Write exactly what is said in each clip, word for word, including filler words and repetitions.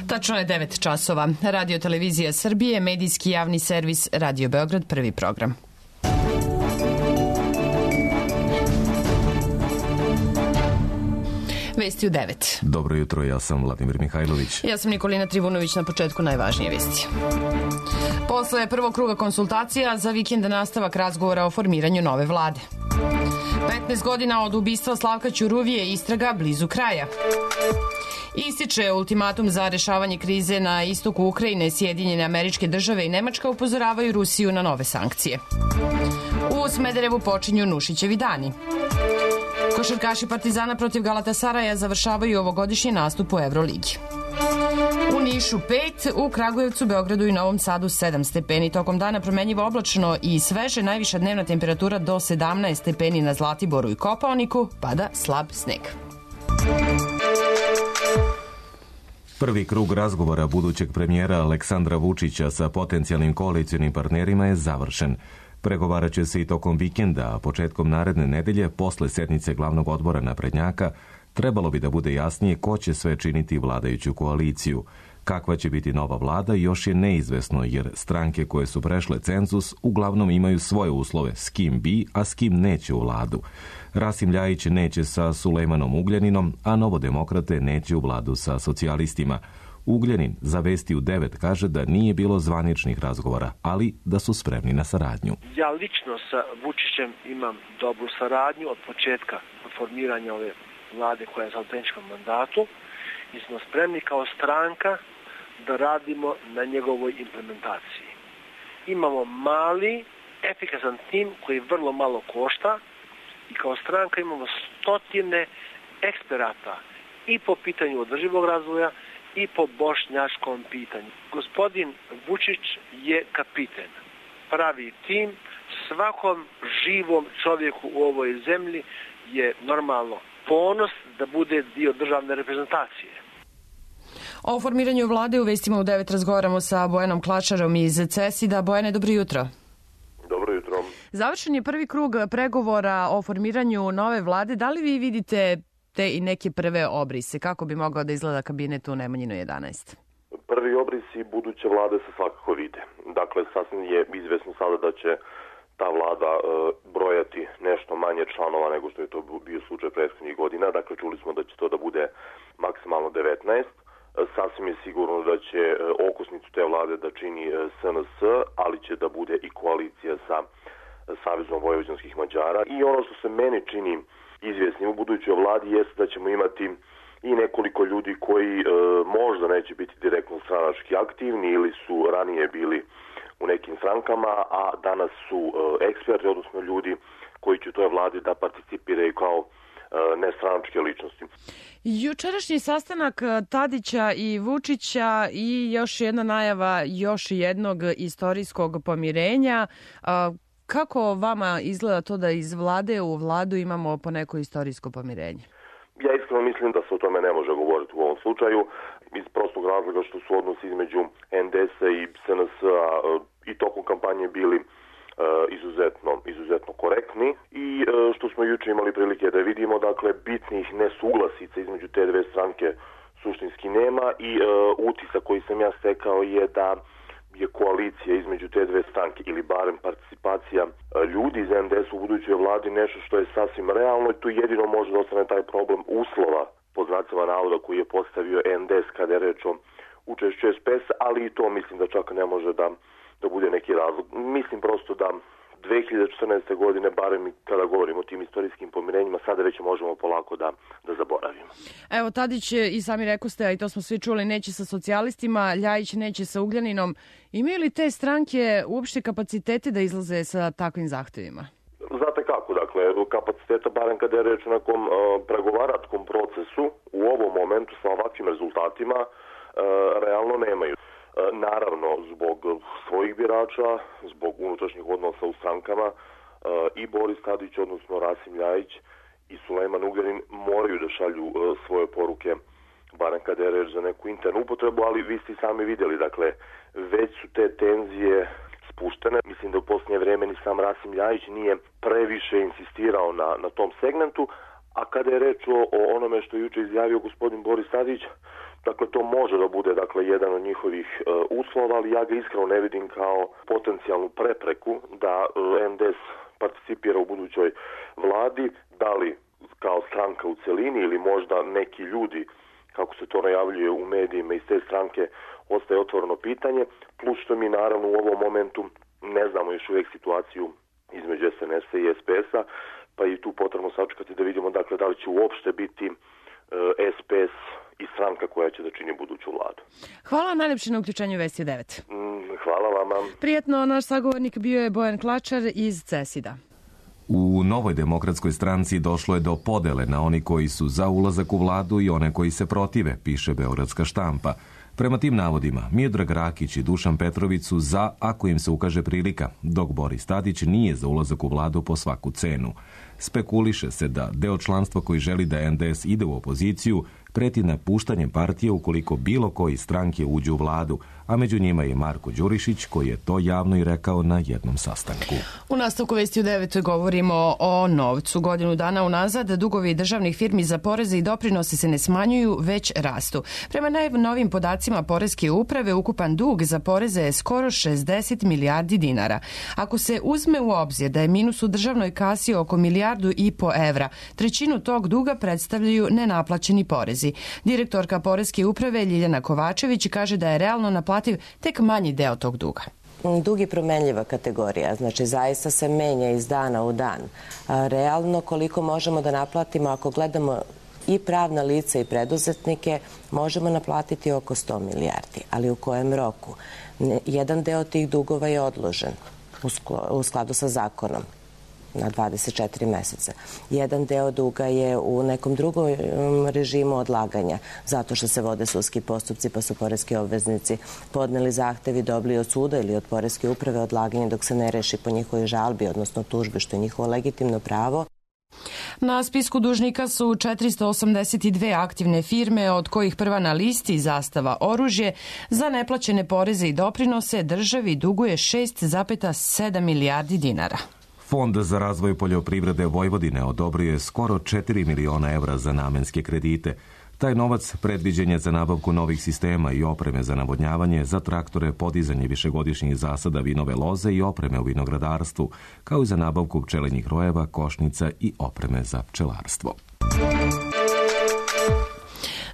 Tačno je devet časova. Radio Televizija Srbije, medijski javni servis Radio Beograd, prvi program. Vesti u devet. Dobro jutro, ja sam Vladimir Mihajlović. Ja sam Nikolina Trivunović, na početku najvažnije vesti. Posle prvog kruga konsultacija za vikend nastavak razgovora o formiranju nove vlade. petnaest godina od ubistva Slavka Ćuruvije, istraga blizu kraja. Ističe ultimatum za rešavanje krize na istoku Ukrajine, Sjedinjene Američke Države i Nemačka upozoravaju Rusiju na nove sankcije. U Smederevu počinju Nušićevi dani. Košarkaši Partizana protiv Galatasaraja završavaju ovogodišnji nastup u Evroligi. U Nišu pet, u Kragujevcu, Beogradu i Novom Sadu sedam stepeni. Tokom dana promenjivo oblačno i sveže, najviša dnevna temperatura do sedamnaest stepeni na Zlatiboru i Kopaoniku, pada slab sneg. Prvi krug razgovora budućeg premijera Aleksandra Vučića sa potencijalnim koalicionim partnerima je završen. Pregovarat će se i tokom vikenda, a početkom naredne nedelje, posle sednice glavnog odbora naprednjaka, trebalo bi da bude jasnije ko će sve činiti vladajuću koaliciju. Kakva će biti nova vlada još je neizvesno, jer stranke koje su prešle cenzus uglavnom imaju svoje uslove s kim bi, a s kim neće u vladu. Rasim Ljajić neće sa Sulejmanom Ugljaninom, a Novodemokrate neće u vladu sa socijalistima. Ugljanin za Vesti u devet kaže da nije bilo zvaničnih razgovora, ali da su spremni na saradnju. Ja lično sa Vučićem imam dobru saradnju od početka formiranja ove vlade koja je za autentičkom mandatu i smo spremni kao stranka da radimo na njegovoj implementaciji. Imamo mali, efikasan tim koji vrlo malo košta i kao stranka imamo stotine eksperata i po pitanju održivog razvoja i po bošnjačkom pitanju. Gospodin Vučić je kapiten, pravi tim, svakom živom čovjeku u ovoj zemlji je normalno ponos da bude dio državne reprezentacije. O formiranju vlade u Vestima u devet razgovaramo sa Bojanom Klačarom iz CESID-a. Bojane, dobro jutro. Dobro jutro. Završen je prvi krug pregovora o formiranju nove vlade. Da li vi vidite te i neke prve obrise? Kako bi mogao da izgleda kabinet u Nemanjinu jedanaest? Prvi obrisi buduće vlade se svakako vide. Dakle, sasvim je izvesno sada da će ta vlada e, brojati nešto manje članova nego što je to bio slučaj prethodnih godina. Dakle, čuli smo da će to da bude maksimalno devetnaest. E, sasvim je sigurno da će e, okosnicu te vlade da čini e, S N S, ali će da bude i koalicija sa e, Savezom vojvođanskih Mađara. I ono što se meni čini izvjesni u budućoj vladi jeste da ćemo imati i nekoliko ljudi koji e, možda neće biti direktno stranački aktivni ili su ranije bili u nekim strankama, a danas su e, eksperti, odnosno ljudi koji će u toj vladi da participiraju kao e, nestranačke ličnosti. Jučerašnji sastanak Tadića i Vučića i još jedna najava još jednog istorijskog pomirenja. A, kako vama izgleda to da iz vlade u vladu imamo po neko istorijsko pomirenje? Ja iskreno mislim da se o tome ne može govoriti u ovom slučaju, iz prostog razloga što su odnosi između N D S-a i S N S-a i tokom kampanje bili uh, izuzetno, izuzetno korektni i uh, što smo juče imali prilike da vidimo, dakle, bitnih nesuglasica između te dve stranke suštinski nema i uh, utisak koji sam ja stekao je da je koalicija između te dve stranke ili barem participacija ljudi iz N D S u budućoj vladi nešto što je sasvim realno i tu jedino može da ostane taj problem uslova pod znacima navoda koji je postavio N D S kada je reč o učešću S P S, ali i to mislim da čak ne može da, da bude neki razlog. Mislim prosto da dve hiljade četrnaeste. godine, barem kada govorimo o tim istorijskim pomirenjima, sada već možemo polako da, da zaboravimo. Evo, Tadić i sami rekoste, a i to smo svi čuli, neće sa socijalistima, Ljajić neće sa Ugljaninom. Imaju li te stranke uopšte kapacitete da izlaze sa takvim zahtevima? Znate kako, dakle, kapaciteta, barem kada je reč o nekom uh, pregovaračkom procesu, u ovom momentu sa ovakvim rezultatima, uh, realno nemaju. Naravno, zbog svojih birača, zbog unutrašnjih odnosa u strankama, i Boris Tadić, odnosno Rasim Ljajić i Sulejman Ugljanin moraju da šalju svoje poruke, barem kada je reč za neku internu upotrebu, ali vi ste sami vidjeli, dakle, već su te tenzije spuštene. Mislim da u posljednje vreme ni sam Rasim Ljajić nije previše insistirao na, na tom segmentu, A kada je reč o, o onome što je juče izjavio gospodin Boris Tadić, dakle to može da bude dakle jedan od njihovih e, uslova, ali ja ga iskreno ne vidim kao potencijalnu prepreku da e, N D S participira u budućoj vladi, da li kao stranka u celini ili možda neki ljudi, kako se to najavljuje u medijima iz te stranke, ostaje otvoreno pitanje, plus što mi naravno u ovom momentu ne znamo još uvijek situaciju između S N S-a i S P S-a, pa i tu potrebno sačekati da vidimo dakle da li će uopšte biti e, S P S i stranka koja će da čini buduću vladu. Hvala najlepše na uključenju Vesti u devet. Mm, hvala vama. Prijetno, naš sagovornik bio je Bojan Klačar iz CESID-a. U Novoj demokratskoj stranci došlo je do podele na oni koji su za ulazak u vladu i one koji se protive, piše Beogradska štampa. Prema tim navodima, Miodrag Rakić i Dušan Petrović su za ako im se ukaže prilika, dok Boris Tadić nije za ulazak u vladu po svaku cenu. Spekuliše se da deo članstva koji želi da N D S ide u opoziciju preti napuštanjem partije ukoliko bilo koji stranke uđu u vladu, a među njima je Marko Đurišić koji je to javno i rekao na jednom sastanku. U nastavku Vesti u devet govorimo o novcu. Godinu dana unazad dugovi državnih firmi za poreze i doprinose se ne smanjuju, već rastu. Prema najnovim podacima Poreske uprave, ukupan dug za poreze je skoro šezdeset milijardi dinara. Ako se uzme u obzir da je minus u državnoj kasi oko milijardu i po evra, trećinu tog duga predstavljaju nenaplaćeni porezi. Direktorka Poreske uprave Ljiljana Kovačević kaže da je realno naplativ tek manji deo tog duga. Dug je promenljiva kategorija, znači zaista se menja iz dana u dan. Realno koliko možemo da naplatimo, ako gledamo i pravna lica i preduzetnike, možemo naplatiti oko sto milijardi, ali u kojem roku? Jedan deo tih dugova je odložen u skladu sa zakonom na dvadeset četiri meseca. Jedan deo duga je u nekom drugom režimu odlaganja, zato što se vode sudski postupci, pa su poreski obveznici podneli zahtev i dobili od suda ili od Poreske uprave odlaganje dok se ne reši po njihovoj žalbi, odnosno tužbi, što je njihovo legitimno pravo. Na spisku dužnika su četiristo osamdeset dve aktivne firme, od kojih prva na listi Zastava oružje. Za neplaćene poreze i doprinose državi duguje šest zarez sedam milijardi dinara. Fond za razvoj poljoprivrede Vojvodine odobrio je skoro četiri miliona evra za namenske kredite. Taj novac predviđen je za nabavku novih sistema i opreme za navodnjavanje, za traktore, podizanje višegodišnjih zasada vinove loze i opreme u vinogradarstvu, kao i za nabavku pčelinjih rojeva, košnica i opreme za pčelarstvo.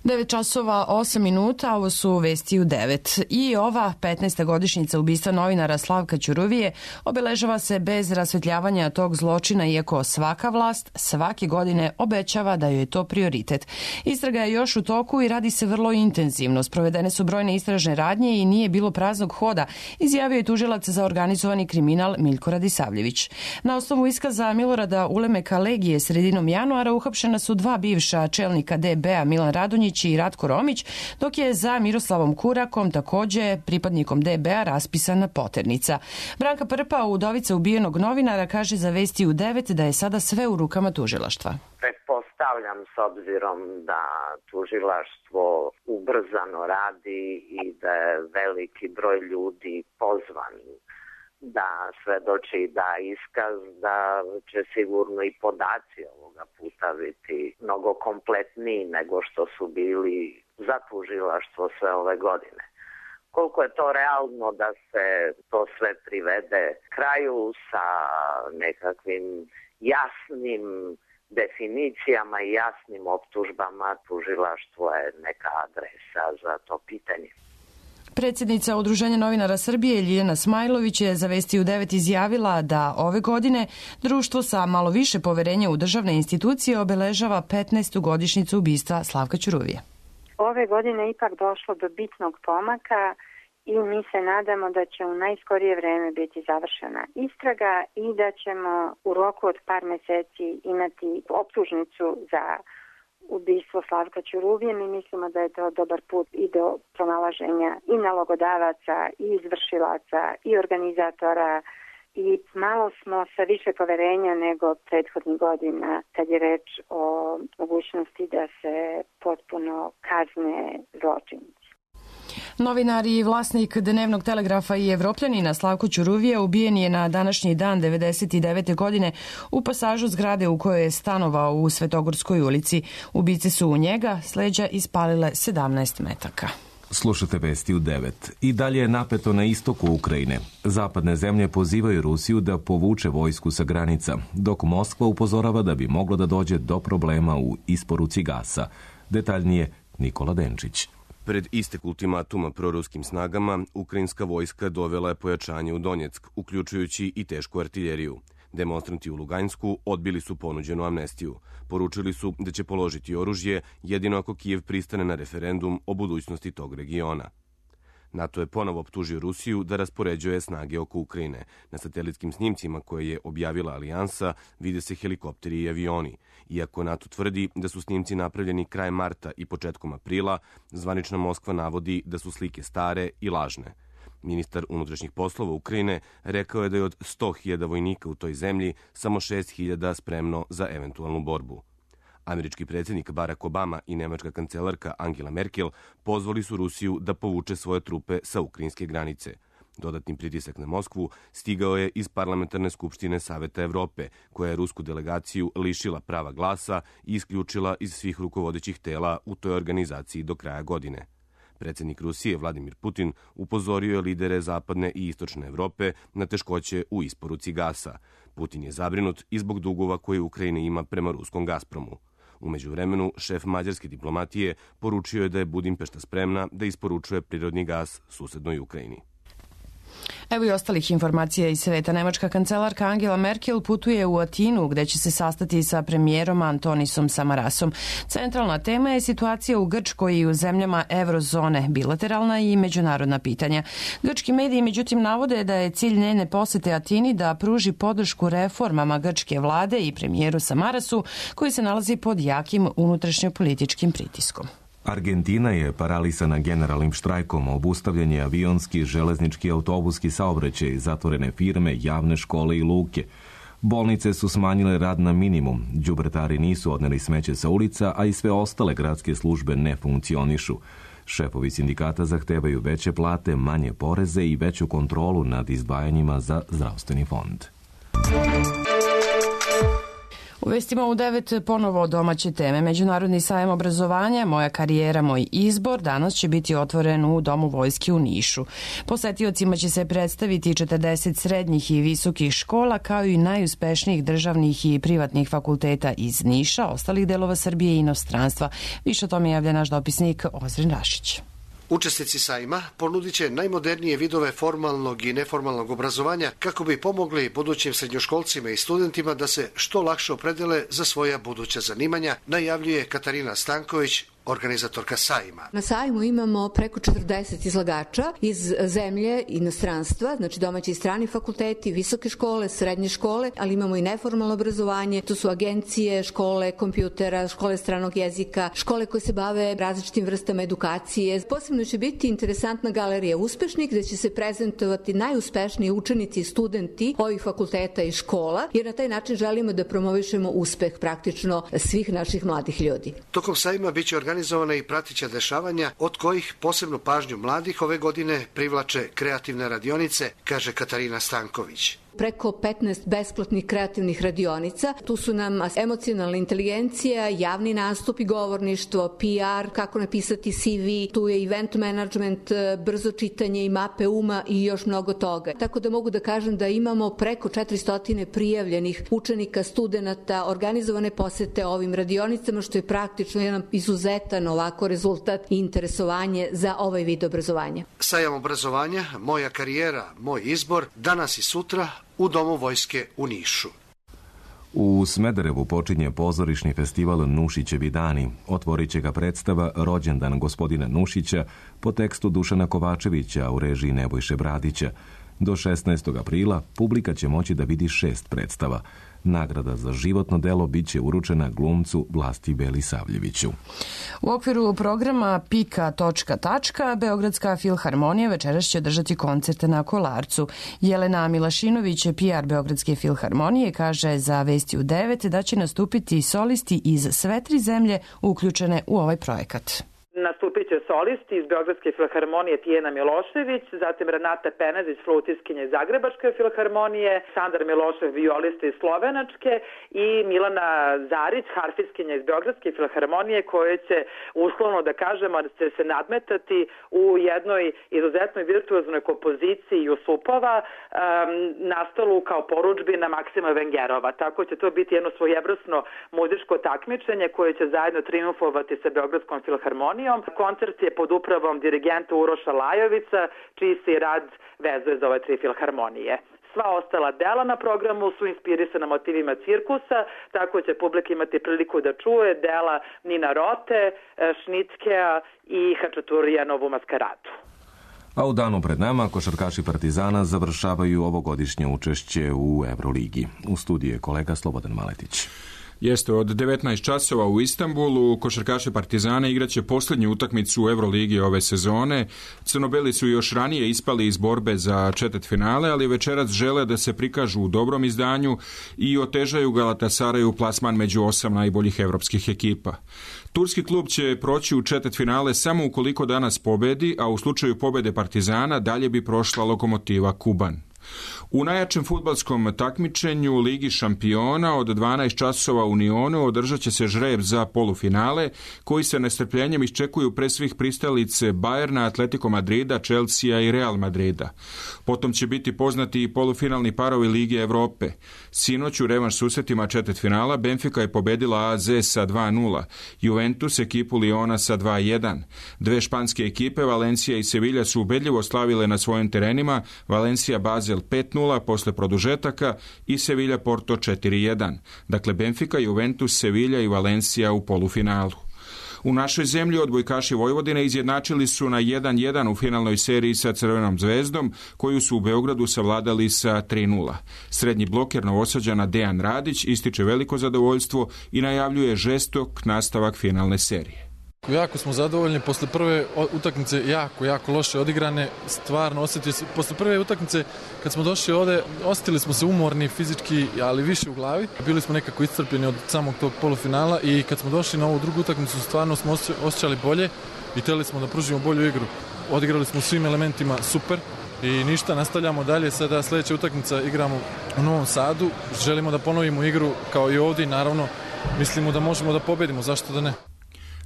devet časova osam minuta, ovo su Vesti u devet. I ova petnaesta godišnjica ubistva novinara Slavka Ćuruvije obeležava se bez rasvetljavanja tog zločina, iako svaka vlast svake godine obećava da joj je to prioritet. Istraga je još u toku i radi se vrlo intenzivno. Sprovedene su brojne istražne radnje i nije bilo praznog hoda, izjavio je tužilac za organizovani kriminal Miljko Radisavljević. Na osnovu iskaza Milorada Ulemeka Legije sredinom januara uhapšena su dva bivša čelnika D B-a, Milan Radonjić i Ratko Romić, dok je za Miroslavom Kurakom, takođe pripadnikom D B-a, raspisana poternica. Branka Prpa, udovica ubijenog novinara, kaže za Vesti u devet da je sada sve u rukama tužilaštva. Pretpostavljam, s obzirom da tužilaštvo ubrzano radi i da je veliki broj ljudi pozvan da svedoči, da iskaz, da će sigurno i podaci ovoga puta biti mnogo kompletniji nego što su bili za tužilaštvo sve ove godine. Koliko je to realno da se to sve privede kraju sa nekakvim jasnim definicijama i jasnim optužbama, tužilaštvo je neka adresa za to pitanje. Predsjednica Udruženja novinara Srbije Ljiljana Smajlović je za Vesti u devet izjavila da ove godine društvo sa malo više poverenja u državne institucije obeležava petnaestu godišnjicu ubistva Slavka Ćuruvije. Ove godine ipak došlo do bitnog pomaka i mi se nadamo da će u najskorije vreme biti završena istraga i da ćemo u roku od par meseci imati optužnicu za ubistvo Slavka Ćuruvije. Mi mislimo da je to dobar put i do pronalaženja i nalogodavaca, i izvršilaca, i organizatora, i malo smo sa više poverenja nego prethodnih godina kad je reč o mogućnosti da se potpuno kazne zločinci. Novinar i vlasnik Dnevnog telegrafa i Evropljanina Slavko Ćuruvija ubijen je na današnji dan devedeset devete. godine u pasažu zgrade u kojoj je stanovao u Svetogorskoj ulici. Ubice su u njega s leđa ispalile sedamnaest metaka. Slušate vesti u devet. I dalje je napeto na istoku Ukrajine. Zapadne zemlje pozivaju Rusiju da povuče vojsku sa granica, dok Moskva upozorava da bi moglo da dođe do problema u isporuci gasa. Detaljnije Nikola Denčić. Pred istek ultimatuma proruskim snagama, ukrajinska vojska dovela je pojačanje u Donjeck, uključujući i tešku artiljeriju. Demonstranti u Luganjsku odbili su ponuđenu amnestiju. Poručili su da će položiti oružje jedino ako Kijev pristane na referendum o budućnosti tog regiona. NATO je ponovo optužio Rusiju da raspoređuje snage oko Ukrajine. Na satelitskim snimcima koje je objavila Alijansa vide se helikopteri i avioni. Iako NATO tvrdi da su snimci napravljeni krajem marta i početkom aprila, zvanična Moskva navodi da su slike stare i lažne. Ministar unutrašnjih poslova Ukrajine rekao je da je od sto hiljada vojnika u toj zemlji samo šest hiljada spremno za eventualnu borbu. Američki predsjednik Barack Obama i nemačka kancelarka Angela Merkel pozvali su Rusiju da povuče svoje trupe sa ukrajinske granice. Dodatni pritisak na Moskvu stigao je iz Parlamentarne skupštine Saveta Evrope, koja je rusku delegaciju lišila prava glasa i isključila iz svih rukovodećih tela u toj organizaciji do kraja godine. Predsjednik Rusije Vladimir Putin upozorio je lidere zapadne i istočne Evrope na teškoće u isporuci gasa. Putin je zabrinut i zbog dugova koje Ukrajina ima prema ruskom Gazpromu. U međuvremenu, šef mađarske diplomatije poručio je da je Budimpešta spremna da isporučuje prirodni gas susednoj Ukrajini. Evo i ostalih informacija iz sveta. Nemačka kancelarka Angela Merkel putuje u Atinu gde će se sastati sa premijerom Antonisom Samarasom. Centralna tema je situacija u Grčkoj i u zemljama eurozone, bilateralna i međunarodna pitanja. Grčki mediji međutim navode da je cilj njene posete Atini da pruži podršku reformama grčke vlade i premijeru Samarasu koji se nalazi pod jakim unutrašnjopolitičkim pritiskom. Argentina je paralisana generalnim štrajkom, obustavljen je avionski, železnički, autobuski saobraćaj, zatvorene firme, javne škole i luke. Bolnice su smanjile rad na minimum, đubretari nisu odneli smeće sa ulica, a i sve ostale gradske službe ne funkcionišu. Šefovi sindikata zahtevaju veće plate, manje poreze i veću kontrolu nad izdvajanjima za zdravstveni fond. U vestima u devet ponovo domaće teme. Međunarodni sajam obrazovanja, Moja karijera, moj izbor, danas će biti otvoren u Domu vojske u Nišu. Posetiocima će se predstaviti četrdeset srednjih i visokih škola, kao i najuspešnijih državnih i privatnih fakulteta iz Niša, ostalih delova Srbije i inostranstva. Više o tome javlja naš dopisnik Ozren Rašić. Učesnici sajma ponudit će najmodernije vidove formalnog i neformalnog obrazovanja kako bi pomogli budućim srednjoškolcima i studentima da se što lakše opredele za svoja buduća zanimanja, najavljuje Katarina Stanković, organizatorka sajma. Na sajmu imamo preko četrdeset izlagača iz zemlje i inostranstva, znači domaći i strani fakulteti, visoke škole, srednje škole, ali imamo i neformalno obrazovanje. To su agencije, škole kompjutera, škole stranog jezika, škole koje se bave različitim vrstama edukacije. Posebno će biti interesantna galerija uspešnih, gde će se prezentovati najuspešniji učenici i studenti ovih fakulteta i škola, jer na taj način želimo da promovišemo uspeh praktično svih naših mladih ljudi. Tokom sajma biće organizovano organizovana i pratića dešavanja, od kojih posebnu pažnju mladih ove godine privlače kreativne radionice, kaže Katarina Stanković. Preko petnaest besplatnih kreativnih radionica. Tu su nam emocionalna inteligencija, javni nastup i govorništvo, P R, kako napisati C V, tu je event management, brzo čitanje i mape uma i još mnogo toga. Tako da mogu da kažem da imamo preko četiristo prijavljenih učenika, studenata, organizovane posete ovim radionicama, što je praktično jedan izuzetan ovako rezultat i interesovanje za ovaj vid obrazovanja. Sajam obrazovanja, Moja karijera, moj izbor, danas i sutra u Domu vojske u Nišu. U Smederevu počinje pozorišni festival Nušićevi dani. Otvorit će ga predstava Rođendan gospodina Nušića po tekstu Dušana Kovačevića u režiji Nebojše Bradića. Do šesnaestog aprila publika će moći da vidi šest predstava. Nagrada za životno delo biće uručena glumcu Vlasti Belisavljeviću. U okviru programa Pika točka tačka Beogradska filharmonija večeras će održati koncerte na Kolarcu. Jelena Milašinović, P R Beogradske filharmonije, kaže za Vesti u devet da će nastupiti solisti iz sve tri zemlje uključene u ovaj projekat. nastupit će solisti iz Beogradske filharmonije Tijena Milošević, zatim Renata Penezić, flautiskinja iz Zagrebačke filharmonije, Sandar Milošev, violista iz Slovenačke i Milana Zarić, harfiskinja iz Beogradske filharmonije, koje će, uslovno da kažemo, će se nadmetati u jednoj izuzetnoj virtuoznoj kompoziciji Jusupova, um, nastalu kao porudžbina Maksima Vengerova. Tako će to biti jedno svojevrsno muzičko takmičenje koje će zajedno triumfovati sa Beogradskom filharmonijom. Koncert je pod upravom dirigenta Uroša Lajovića, čiji se rad vezuje za ove tri filharmonije. Sva ostala dela na programu su inspirisana motivima cirkusa, tako će publika imati priliku da čuje dela Nina Rote, Šnitkea i Hačaturijanovu maskaradu. A u danu pred nama košarkaši Partizana završavaju ovogodišnje učešće u Euroligi. U studiju je kolega Slobodan Maletić. Jeste, od devetnaest časova u Istanbulu košarkaši Partizana igraće posljednju utakmicu u Euroligi ove sezone. Crnobeli su još ranije ispali iz borbe za četvrtfinale, ali večeras žele da se prikažu u dobrom izdanju i otežaju Galatasaraju plasman među osam najboljih evropskih ekipa. Turski klub će proći u četvrtfinale samo ukoliko danas pobedi, a u slučaju pobede Partizana dalje bi prošla Lokomotiva Kuban. U najjačem fudbalskom takmičenju Ligi šampiona od dvanaest časova u Nionu održat će se žreb za polufinale, koji se nestrpljenjem iščekuju pre svih pristalice Bayerna, Atletico Madrida, Chelsea i Real Madrida. Potom će biti poznati i polufinalni parovi Lige Evrope. Sinoć u revanš susretima četvrtfinala Benfica je pobedila A Z sa dva nula, Juventus ekipu Liona sa dva jedan. Dve španske ekipe, Valencia i Sevilla, su ubedljivo slavile na svojim terenima, Valencia Basel pet nula posle produžetaka i Sevilla Porto četiri jedan. Dakle, Benfica, Juventus, Sevilla i Valencia u polufinalu. U našoj zemlji odbojkaši Vojvodine izjednačili su na jedan jedan u finalnoj seriji sa Crvenom zvezdom, koju su u Beogradu savladali sa tri nula. Srednji bloker Novosađana Dejan Radić ističe veliko zadovoljstvo i najavljuje žestok nastavak finalne serije. Jako smo zadovoljni, posle prve utakmice jako, jako loše odigrane, stvarno osjetio se, posle prve utakmice kad smo došli ovde, osjetili smo se umorni fizički, ali više u glavi, bili smo nekako iscrpljeni od samog tog polufinala i kad smo došli na ovu drugu utakmicu stvarno smo osjećali bolje i htjeli smo da pružimo bolju igru. Odigrali smo svim elementima super i ništa, nastavljamo dalje, sada sljedeća utakmica igramo u Novom Sadu, želimo da ponovimo igru kao i ovdje i naravno mislimo da možemo da pobedimo, zašto da ne?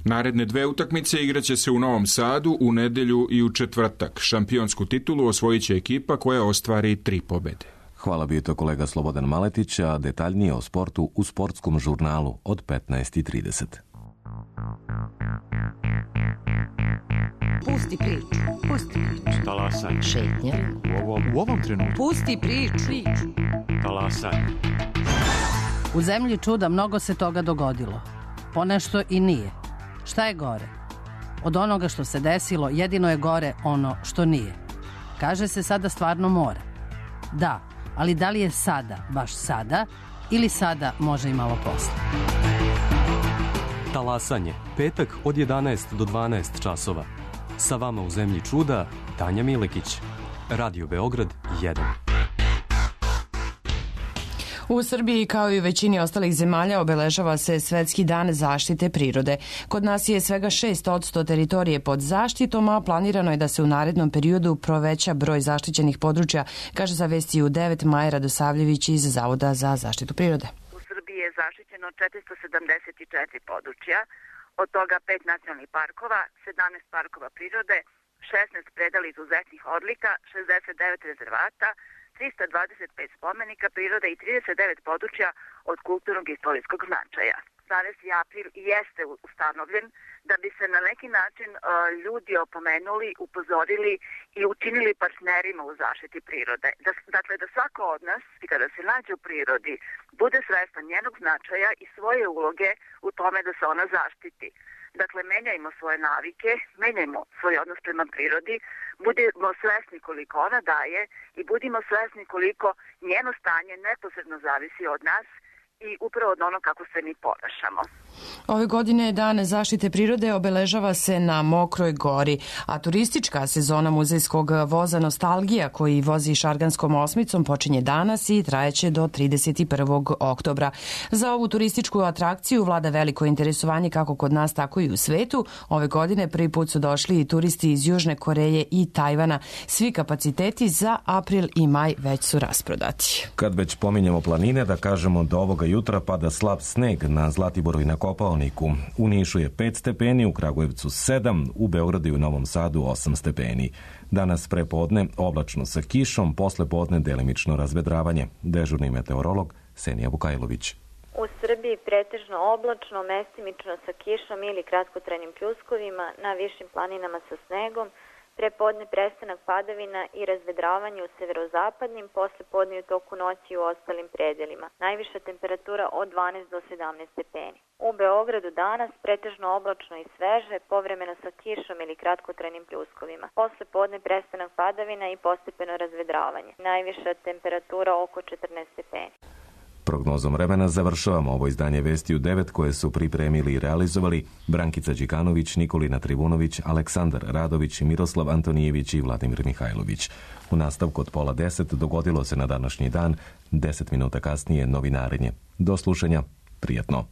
Naredne dve utakmice igraće se u Novom Sadu u nedelju i u četvrtak. Šampionsku titulu osvojit će ekipa koja ostvari tri pobede. Hvala, bio to kolega Slobodan Maletić, a detaljnije o sportu u sportskom žurnalu od petnaest i trideset. Pusti priču, pusti priču. Talasaj. Šetnja. U ovom, u ovom trenutku. Pusti priču. Talasaj. U zemlji čuda mnogo se toga dogodilo. Ponešto i nije. Šta je gore? Od onoga što se desilo, jedino je gore ono što nije. Kaže se sada stvarno mora. Da, ali da li je sada, baš sada, ili sada može i malo posle? Talasanje, petak od jedanaest do dvanaest časova. Sa vama u zemlji čuda, Tanja Milekić. Radio Beograd jedan. U Srbiji, kao i u većini ostalih zemalja, obeležava se Svetski dan zaštite prirode. Kod nas je svega šest posto teritorije pod zaštitom, a planirano je da se u narednom periodu proveća broj zaštićenih područja, kaže za Vesti U devet Maja Radosavljević iz Zavoda za zaštitu prirode. U Srbiji je zaštićeno četiristo sedamdeset četiri područja, od toga pet nacionalnih parkova, sedamnaest parkova prirode, šesnaest predela izuzetnih odlika, šezdeset devet rezervata, trista dvadeset pet spomenika prirode i trideset devet područja od kulturnog i istorijskog značaja. dvanaesti april jeste ustanovljen da bi se na neki način uh, ljudi opomenuli, upozorili i učinili partnerima u zaštiti prirode. Da, dakle, da svako od nas, kada se nađe u prirodi, bude svestan njenog značaja i svoje uloge u tome da se ona zaštiti. Dakle, menjajmo svoje navike, menjajmo svoj odnos prema prirodi, budimo svesni koliko ona daje i budimo svesni koliko njeno stanje neposredno zavisi od nas i upravo od ono kako se mi ponašamo. Ove godine Dan zaštite prirode obeležava se na Mokroj gori, a turistička sezona muzejskog voza Nostalgija, koji vozi Šarganskom osmicom, počinje danas i trajeće do trideset prvog oktobra. Za ovu turističku atrakciju vlada veliko interesovanje kako kod nas, tako i u svetu. Ove godine prvi put su došli i turisti iz Južne Koreje i Tajvana. Svi kapaciteti za april i maj već su rasprodati. Kad već pominjamo planine, da kažemo da ovoga jutra pada slab sneg na Zlatiboru i na Kopaoniku. U Nišu je pet stepeni, u Kragujevcu sedam, u Beogradu i u Novom Sadu osam stepeni. Danas prepodne oblačno sa kišom, posle podne delimično razvedravanje. Dežurni meteorolog Senija Vukajlović. U Srbiji pretežno oblačno, mestimično sa kišom ili kratkotrajnim pljuskovima, na višim planinama sa snegom, prepodne prestanak padavina i razvedravanje u severozapadnim, posle podne u toku noći u ostalim predelima. Najviša temperatura od dvanaest do sedamnaest stepeni. U Beogradu danas pretežno oblačno i sveže, povremeno sa kišom ili kratkotrajnim pljuskovima. Posle podne prestanak padavina i postepeno razvedravanje. Najviša temperatura oko četrnaest stepeni. Prognozom vremena završavamo ovo izdanje Vesti u devet koje su pripremili i realizovali Brankica Đikanović, Nikolina Trivunović, Aleksandar Radović, Miroslav Antonijević i Vladimir Mihajlović. U nastavku od pola deset dogodilo se na današnji dan, deset minuta kasnije novinarenje. Do slušanja, prijatno.